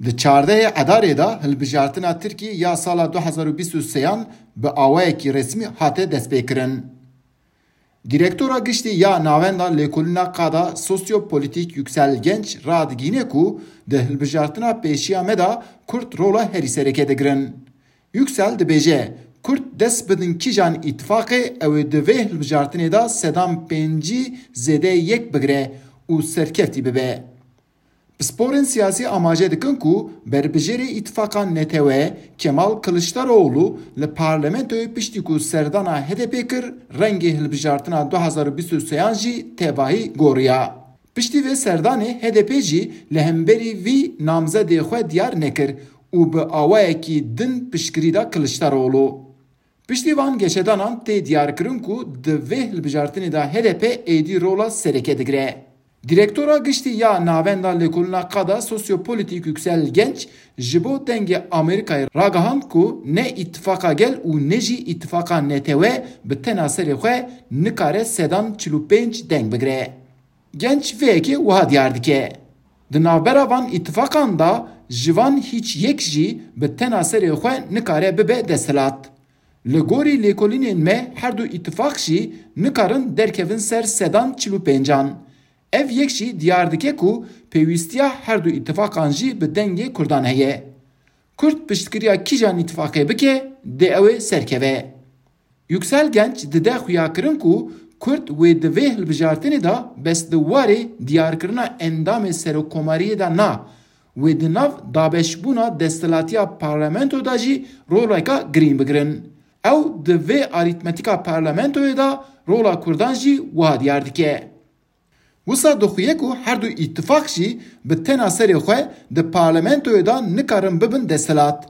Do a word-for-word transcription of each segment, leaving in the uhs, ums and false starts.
Di çardehê Edarê de hilbijartina Tirkî ya sala du hezar û bîst û sêyan bi awayekî resmî hate destpêkirin. Direktora Giştî ya Navenda Lêkolîna Qada Sosyopolîtîk Yüksel Genç radigihîne ku di hilbijartina pêşiya me de Kurd rola herî sereke digirin. Yüksel dibêje, Kurd dest bidin kîjan îtifaqê ew ê di vê hilbijartinê de sedan pêncî zêde yek bigire û serkeftî bibe. Pisporên siyasî amaje dikin ku berbijêrê îtifaqa netewe Kemal Kiliçdaroğlu li parlamentoyê piştî ku serdana H D P kir, rengê hilbijartina du hezar û bîst û sêyan jî tevahî goriya. Piştî vê serdanê H D P jî li hemberî vî namzedê xwe diyar nekir û bi awayekî din piştgirî da Kiliçdaroğlu. Piştî van geşedanan tê diyarkirin ku di vê hilbijartinê de H D P êdî rola sereke digire. Direktora Giştî ya Navenda Lêkolîna Qada Sosyopolîtîk Yüksel Genç ji bo Dengê Amerîkayê ragihand ku ne Îtifaqa Gel û ne jî Îtifaqa Netewe bi tena serê xwe nikare sedan çil û pênc deng bigire. Genç vê yekê wiha diyar dike, Di navbera van îtifaqan de ji van hîç yek jî bi tena serê xwe nikare bibe desthilat. Li gorî lêkolînên me her du îtifaq jî nikarin derkevin ser sedan çil û pêncan. Ev yek jî diyar dike ku pêwîstiya her du îtifaqan jî bi dengê Kurdan heye. Kurd piştgiriya kîjan îtifaqê bike, dê ew ê serkeve. Yüksel Genç dide xuyakirin ku Kurd wê di vê hilbijartinê de bes di warê diyarkirina endamê serokkomariyê de na, wê di nav dabeşbûna desthilatiya parlamento de jî roleka girîng bigirin. Ew di vê arîtmetîka parlamentoyê de rola Kurdan jî wiha diyar dike. Wisa dixuye ku her du îtifaq jî bi tena serê xwe di parlamentoyê de nikarin bibin desthilat.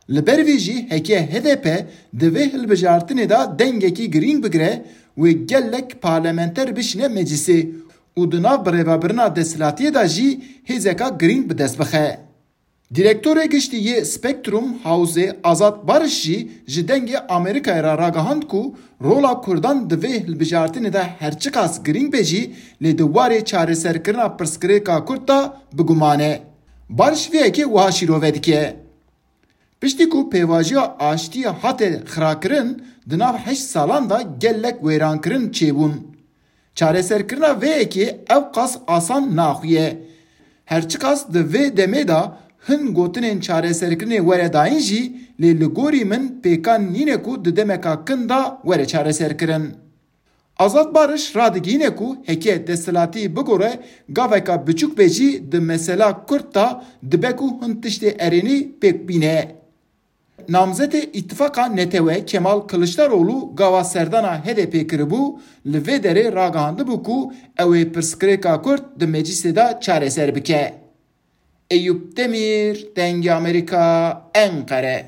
Li ber vê jî heke H D P di vê hilbijartinê de dengekî girîng bigire, wê gelek parlamenter bişîne meclisê û di nav birêvebirina desthilatiyê de jî hêzeka girîng bi dest bixe. Direktorê Giştî yê Spektrum Hawzê Azad Barış jî ji Dengê Amerîkayê re ragihand ku rola Kurdan di vê hilbijartinê de her çiqas girîng be jî, lê di warê çareserkirina pirsgirêka Kurd de bi guman e. Barış vê yekê wiha şîrove dike, Piştî ku pêvajoya aştiyê hate xirakirin, di nav heşt salan de gelek wêrankirin çêbûn. Çareserkirina vê yekê ew qas asan naxuye. Her çiqas di vê demê de hin gotinên çareserkirinê were dayîn jî, lê li gorî min pêkan nîne ku di demeka kin de were çareserkirin. Azad Barış radigihîne ku heke desthilatî bigore gaveka biçûk be jî di mesela Kurd de dibe ku hin tiştê erênî pêk bîne. Namzetê Îtifaqa Netewe Kemal Kiliçdaroglu gava serdana H D P kiribû, li vê derê ragihandibû ku ew ê pirsgirêka Kurd di meclîsê de çareser bike. Eyûp Demîr, Dengê Amerîka, Enqere.